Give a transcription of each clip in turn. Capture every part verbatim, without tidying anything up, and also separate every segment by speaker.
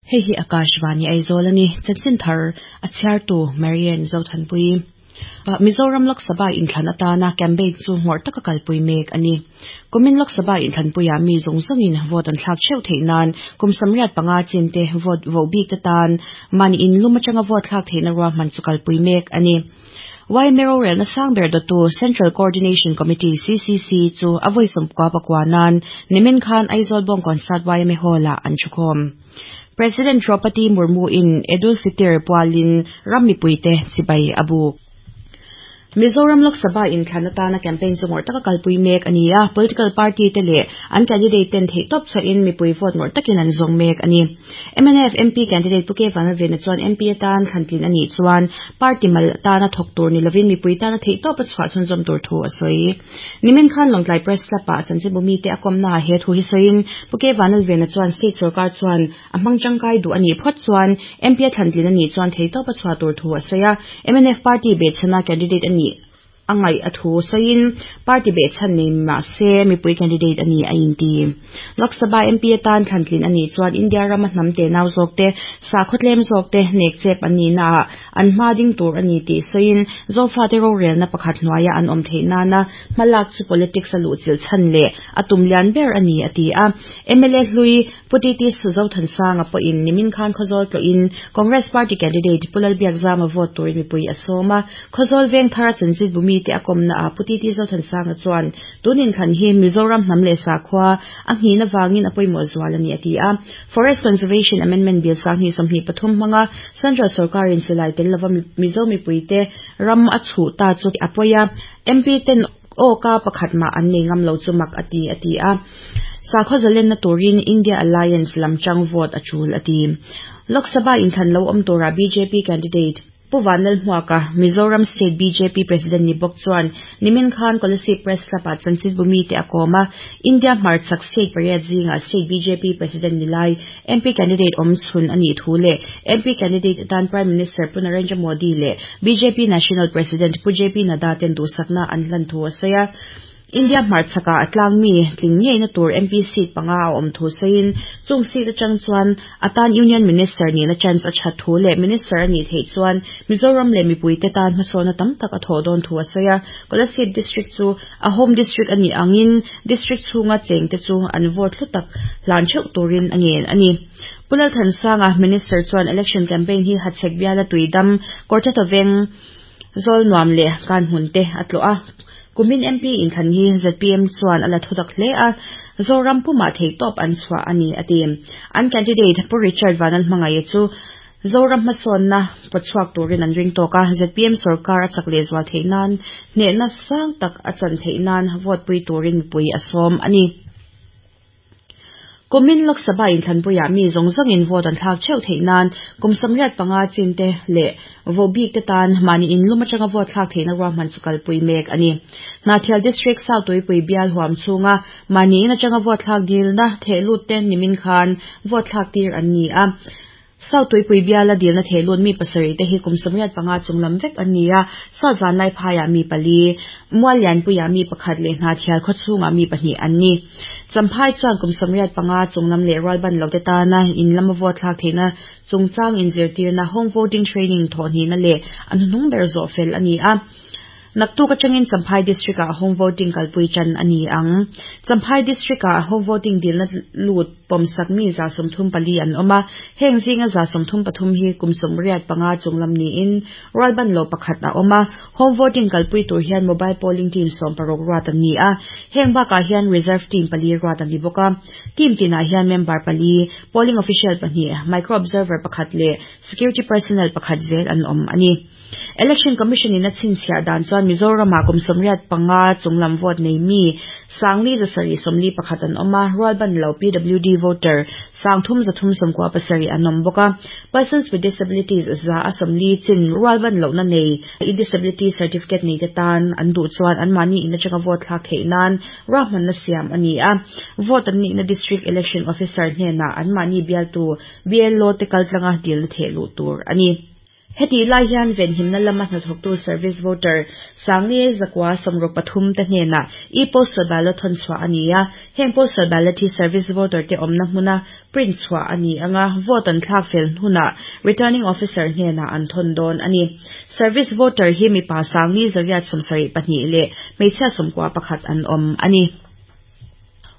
Speaker 1: Hei hi Akashvani Aizawl ani chanchin thar a chhiartu Marian Zothanpui Mizoram Lok Sabha inthlan atana campaign chu ngawrh taka kalpui mek ani kumin Lok Sabha inthlanpuiah mi zawng zawngin vote an thlak theuh theih nan kum samriat panga chin te vote vo bik te tan mahni in lum atanga vote thlak theihna ruahman chu kalpui mek ani Y M rorelna sangber dawtu Central Coordination Committee C C C chu a vawi sawmkua pakua nan nimin khan Aizawl Bawngkawn Sat Y M A Hall-ah an thukhawm. President Draupadi Murmu in Eid-ul Fitr pualin ram mipuite chibai a buk. Mizoram Lok Sabha inthlan atana campaign chu ngawrh taka kalpui mek ani a, political party te leh an candidate ten theih tawp chhuahin mipui vote ngawrh takin an zawng mek ani. M N F M P candidate Pu K Vanlalvena chuan M P atan thlantlin ani chuan party mal atana thawk tur ni lovin mipui tana theih tawp a chhuah chhunzawm tur thu a sawi. Nimin khan Lawngtlai Press Club-ah chanchinbu te a kawmna he thu hi sawiin Pu K Vanlalvena chuan state sarkar chuan a hmang tangkai duh ani phawt chuan M P a thlantlin ani chuan theih tawp a chhuah tur thu a sawi a. M N F party behchhana candidate ani angai a thu sawiin party behchhan nei mah se mipui candidate ani a inti. Lok Sabha M P atan thlantlin ani chuan India rama hnam te nau zawk te sakhaw tlem zawk te nek chep ani na an hma ding tur ani tih sawiin Zofa te rorelna pakhat hnuaia an awm theih nana hmalak chu politics a luh chil chhan leh a tum lian ber ani a ti a. M L A hlui Pu T T Suzothansanga pawhin nimin khan Khawzawl tlawhin Congress Party candidate Pu Lalbiakzama vote turin mipui a sawm a. Khawzawl veng thar a chanchin bumi te a kawmna a Pu T T Zothansanga chuan tunin thlan hi Mizoram hnam leh sakhua a nghihna wangin a pawimawh zual ani a ti a. Forest Conservation Amendment Bill sanghnih sawmhnih pathum hmanga Central Sarkarin silai tel lova Mizo mipuite ram a chhuh ta chu a pawi a. M P ten aw ka pakhat mah an nei ngam lo chu mak a ti a ti a. Sakhaw zalenna turin India Alliance lamchang vote a chul a ti. Lok Sabha inthlan lo awm tura B J P candidate Pu Vanlalhmuaka Mizoram State B J P President ni bawk chuan nimin khan Kolasib Press Club-ah chanchinbu te a kawm a. India hmarchhak state pariat zinga State B J P President ni lai M P candidate awm chhun ani thu leh M P candidate atan Prime Minister Pu Narendra Modi leh B J P National President Pu J P Nadda ten duhsakna an hlan thu a sawi a. India hmarchhaka a tlang mi tling ngeina tur M P seat panga a awm thu sawiin chung seat atang chuan atan Union Minister ni na chance a that thu leh Minister ani theih chuan Mizoram leh mipui te tan hmasawna tam tak a thawh dawn thu a sawi a. Kolasib district chu a home district ani angin district chhunga cheng te chu an vote hlu tak hlan theuh turin a ngen ani. Pu Lalthansanga Minister chuan election campaign hi Hachhek biala tuidam Kawrtheta veng zawl nuam leh kan hmun te a tlawh a. Kumin M P inthlan hi Z P M chuan a la thutak hle a, Zoram pumah theih tawp an chhuah ani a ti. An candidate Pu Richard Vanlalhmangaih chu Zoram hmasawnna pawchhuak turin an ring tawk a. Z P M sarkar a chak leh zual theih nan hnehna sang tak a chan theih nan vote pui turin mipui a sawm ani. Kumin Lok Sabha inthlanpuiah mi zawng zawngin vote an thlak theuh theih nan kum samriat panga chin te leh vo bik te tan mahni in lum atanga vote thlak theihna ruahman chu kalpui mek ani. Hnahthial District South Tuipui bial huam chhunga mahni in atanga vote thlak dilna thehlut te nimin khan vote thlak tir an ni a. South Tuipui biala dilna thehlut mi pasarih te hi kum samriat panga chunglam vek an ni a. South Vanlai phaiah mi pali, Muallianpuiah mi pakhat leh Hnahthial khawchhungah mi pahnih an ni. Champhai chuan kum samriat panga chunglam leh rualban lo te tana in lama vote thlak theihna chungchang inzirtirna home voting training thawhhnihna leh an hnuhnung ber zawh fel ani a. Naktuk atangin Champhai District-ah home voting kalpui chan ani ang. Champhai District-ah home voting dilna lut pawmsak mi za sawmthum pali an awm a. Heng zinga za sawmthum pathum hi kum sawmriat panga chunglam niin rualban lo pakhat a awm a. Home voting kalpui tur hian mobile polling team sawm paruk ruat an ni a. Heng bakah hian reserve team pali ruat an ni bawk a. Team tinah hian member pali, polling official pahnih, micro observer pakhat leh security personnel pakhat zel an awm ani. Election Commission in a chhinchhiah dan chuan Mizorama kum sawmriat panga chunglam vote nei mi sangli zasarih sawmli pakhat an awm a. Rualban lo P W D voter sangthum zathum sawmkua pasarih an awm bawk a. Persons with disabilities za a sawmli chin rualban lohna nei disability certificate nei te tan an duh chuan an mahni in atanga vote thlak theih nan ruahmanna siam ani a. Vote an nihna district election officer hnenah an mahni bialtu B L O te kaltlanga dilna theh luh tur ani. Heti lai hian venhimna lama hnathawktu service voter sangni zakwa sawmruk pathum te hnenah e-postal ballot thawn chhuah a ni a. Heng postal ballot hi service voter te awmna hmuna print chhuah a ni anga vote an thlak fel hunah returning officer hnenah an thawn dawn a ni. Service voter hi mipa sangni zariat sawmsarih pahnih leh hmeichhia sawmkua pakhat an awm a ni.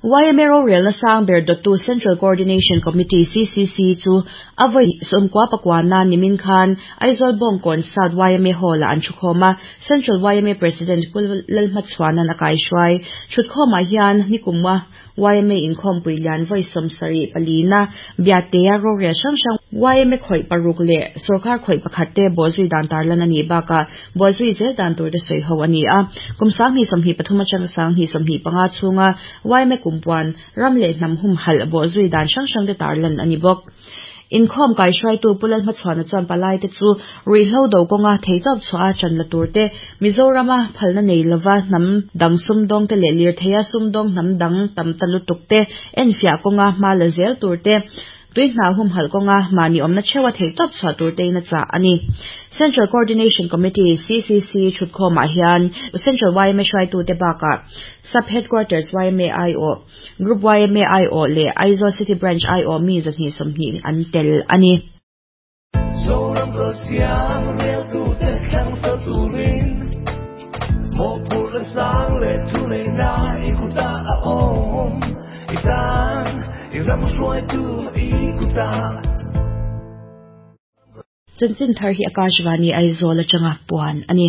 Speaker 1: Y M A rorelna sang ber dawttu Central Coordination Committee C C C chu a vawi sawmkua pakua nimin khan Aizawl Bawngkawn South Y M A Hall ah an thukhawm a. Central Y M A President Pu Lalhmachhuanan a kaihruai. Thutkhawmah hian nikumwa Y M A inkhawmpui lian vawi sawmsarih palina Biatea rorel hrang hrang Y M A khawih paruk leh sorkar khawih pakhat te bawhzui dan tarlan a nih bakah bawhzui zel dan tur te sawi ho a ni a. Kum sanghnih sawmhnih pathum atanga sanghnih sawmhnih panga chhunga Y M A kumpuan ram leh hnam hum halh bawhzui dan hrang hrang te tarlan a ni bawk. Inkhawm kaihruaitu Pu Lalhmachhuana chuan palai te chu ruihhlo do kawnga theitawp chhuah a chan la tur te Mizorama phalna nei lova hnam dang sumdawng te leh lirtheia sumdawng hnam dang tam ta lutuk te enfiah kawnga hma la zel tur te tui hna hum halh kawnga mahni awmna theuha theitawp chhuah tur te in a chah a ni. Central Coordination Committee C C C thutkhawmah hian Central Y M A hruaitu te bakah Sub Headquarters Y M A I O Group Y M A I O leh Aizawl City Branch I O mi zahnih sawmhnih an tel a ni. Chanchin thar hi Akashvani Aizawl atanga puan a ni.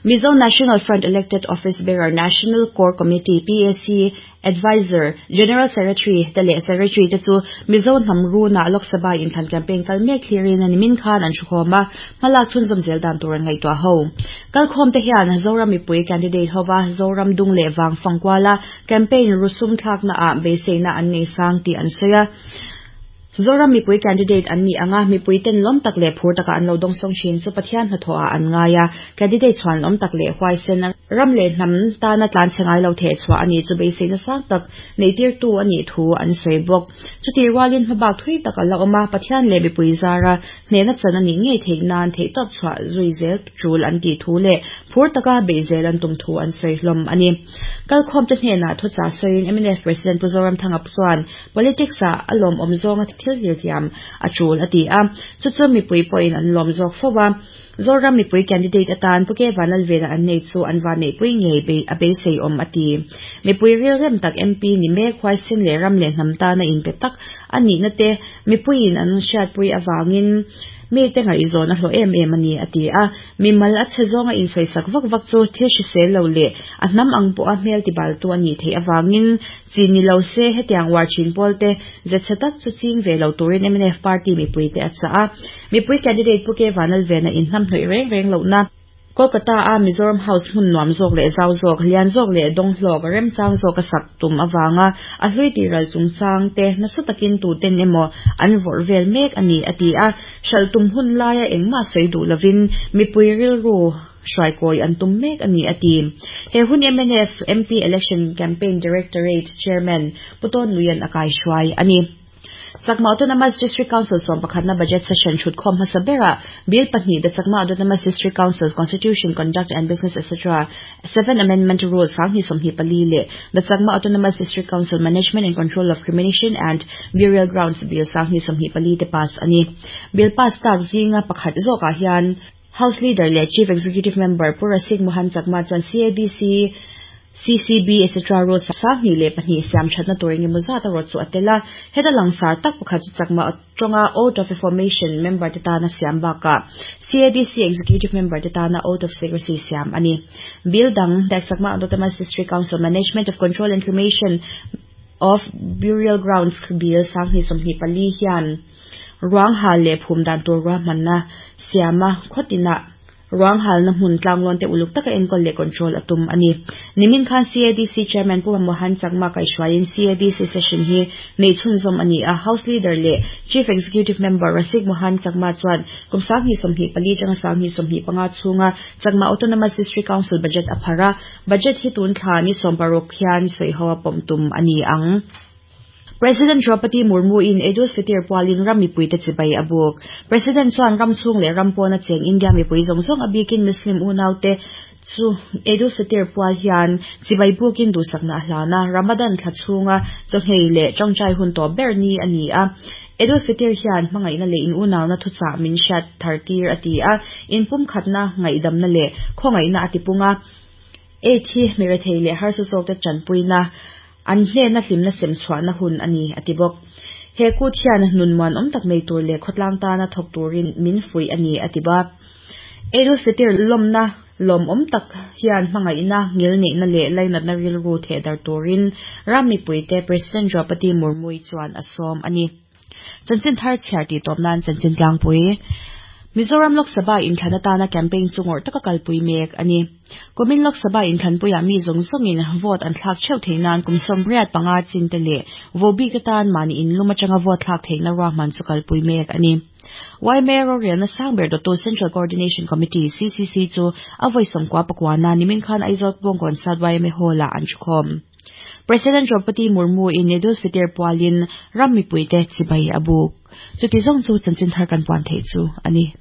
Speaker 1: Mizo National Front Elected Office Bearer National Core Committee P A C Advisor General Secretary te leh Secretary te chu Mizo hnam runa Lok Sabha inthlan campaign kal mek thlirin ani min khan an thukhawm a hmalak chhunzawm zel dan tur an ngaihtuah ho. Kalkhawm te hian Zoram mipui candidate hova Zoram dung leh wang fangkuala campaign rusum thlakna ah beiseina an nei sang tih an sawi a. Zoram mipui candidate an ni anga mipui ten lawm tak leh phur taka an lo dawng sawng thin chu Pathian hnathawh ah an ngai a. Candidate chuan lawm tak leh huaisen ram leh hnam tana tlan che ngai lo theh chhuah ani chu beiseina sang tak nei tir tu ani thu an sawi bawk. Chuti rualin hmabak thui tak a la awm a Pathian leh mipui zara hnehna chan ani ngei theih nan theihtawp chhuah zui zel tul an tih thu leh phur taka bei zel an tum thu an sawi hlawm ani. Kalkhawm te hnenah thucha sawiin M N F President Pu Zoramthanga chuan politics ah a lawm awm zawnga thil hlir thiam a tul a ti a. Chu chu mipui pawhin an lawm zawk fo a. Zoram mipui candidate atan Pu K Vanlalvena an nei chu an van neihpui ngei bei a beisei awm a ti. Mipui ril rem tak M P ni mek huaisen leh ram leh hnam tana inpe tak ani na te mipuiin an hriatpui awangin mi te ngaihzawn a hlawh em em ani a ti a. Mimal a che zawnga insawisak vak vak chu thil hrisel lo leh a hnam ang pawh a hmel tibal tu ani theih awangin chi ni lo se hetiang war thin pawl te zetchhe tak chu ching ve lo turin M N F party mipui te a chah a. Mipui candidate Pu K Vanlalvena in hnam hnawih reng reng lohna Kolkata a Mizoram House hmun nuam zawk leh zau zawk lian zawk leh dawng hlawk remchang zawk a sak tum awanga a hlui ti ral chungchang te nasa takin tu ten emaw an vawrh vel mek ani a ti a. Hral tum hun laia engmah sawi duh lovin mipui rilru hruaikawi an tum mek ani a ti. He hun M N F M P Election Campaign Directorate Chairman Pu Tawn Luian a kaihruai ani. Chakma Autonomous District Council sawm pakhatna budget session thutkhawm hmasa bera bill pahnih the Chakma Autonomous District Council Constitution Conduct and Business et cetera seven Amendment Rules sanghnih sawmhnih pali leh the Chakma Autonomous District Council Management and Control of Cremation and Burial Grounds Bill sanghnih sawmhnih pali te pass ani. Bill pass tak zinga pakhat zawkah hian House Leader leh Chief Executive Member Pu Rasik Mohan Chakma chuan C A D C C C B et cetera rules sanghnih leh pahnih siam thatna tur engemaw zat a rawt chu a tel a. Heta langsar tak pakhat chu Chakma tawnga Oath of Information member te tana siam bakah C A D C Executive member te tana Oath of Secrecy siam ani. Bill dang the Chakma Autonomous District Council Management of Control and Cremation of Burial Grounds Bill sanghnih sawmhnih pali hian ruang hal leh phum dan tur ruahmanna siama khawtina ruang hal na hmun tlanglawn te uluk taka enkawl leh control atum ani. Nimin khan C A D C Chairman Pu Mohan Chakma kaihruaiin C A D C session hi nei chhunzawm ani a. House Leader leh Chief Executive Member Rasik Mohan Chakma chuan kum sanghnih sawmhnih pali tanga sanghnih sawmhnih panga chhunga Chakma Autonomous District Council budget a phara. Budget hi tun thla ni sawm paruk hian sawi ho a pawm tum ani ang. President Draupadi Murmu in Eid ul-Fitr pualin ram mipuite chibai a buk. President chuan ram chhung leh ram pawna cheng India mipui zawng zawng a bikin Muslim unaute chu Eid ul-Fitr pual hian chibai bukin duhsakna a hlan a, Ramadan thla chhunga chawhmeh leh tawngtai hun tawp ber ni a ni a. Eid ul-Fitr hian hmangaihna leh in unauna thuchah min hriat thar tir a ti a, inpum khatna ngaihdamna leh khawngaihna a tipung a. Eid hi mirethei leh harsa zawkte tanpuina an hnena hlimna sem chhuahna hun a ni a ti bawk. He kut hian nun muan awm tak nei tur leh khawtlang tana thawk turin min fuih a ni a ti ba. Eid ul-Fitr lawmna lawm awm tak hian hmangaihna ngilneihna leh lainatna rilru thehdar turin ram mipuite President Draupadi Murmu chuan a sawm a ni. Chanchin thar chhiar tih tawp nan chanchin tlangpui. Mizoram Lok Sabha inthlan atana campaign chu ngawrh taka kalpui mek a ni. Kumin Lok Sabha inthlanpuiah mi zawng zawngin vote an thlak theuh theih nan kum sawmriat panga chin te leh vohbik atan mahni inlum atanga vote thlak theihna ruahman chu kalpui mek a ni. Y M A rorelna sang ber dawttu Central Coordination Committee C C C chu a vawi sawmkua pakuana nimin khan Aizawl Bawngkawn South Y M A Hall-ah an thukhawm. President Draupadi Murmu in Eid ul-Fitr pualin ram mipuite chibai a buk. Chuti zawng chu chanchin thar kan puan theih chu a ni.